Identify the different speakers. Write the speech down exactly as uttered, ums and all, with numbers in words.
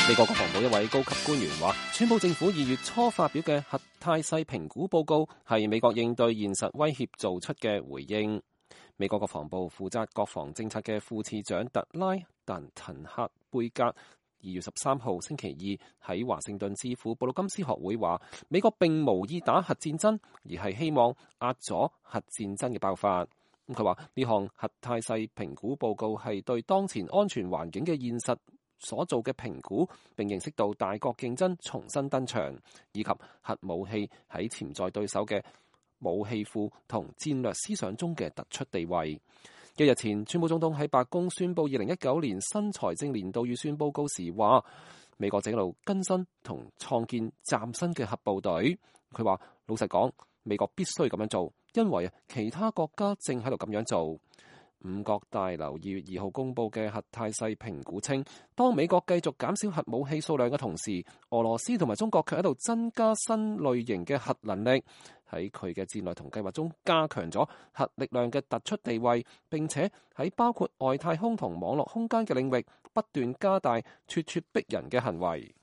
Speaker 1: 美國國防部一位高級官員話，川普政府二月初發表嘅核態勢評估報告係美國應對現實威脅做出嘅回應。美國國防部負責國防政策嘅副次長特拉但滕克貝格二月十三號星期二喺華盛頓智庫布魯金斯學會話，美國並無意打核戰爭，而係希望壓阻核戰爭嘅爆發。咁佢話呢項核態勢評估報告係對當前安全環境嘅現實所做嘅評估，並認識到大國競爭重新登場，以及核武器喺潛在對手嘅武器庫同戰略思想中嘅突出地位。一日前，川普總統喺白宮宣布二零一九年新財政年度預算報告時話，美國正喺度更新同創建嶄新嘅核部隊。佢話老實講，美國必須咁樣做，因為其他國家正喺度咁樣做。五角大樓二月二號公佈嘅核態勢評估稱，當美國繼續減少核武器數量嘅同時，俄羅斯同埋中國卻喺度增加新類型嘅核能力，喺佢嘅戰略同計劃中加強咗核力量嘅突出地位，並且喺包括外太空同網絡空間嘅領域不斷加大咄咄逼人嘅行為。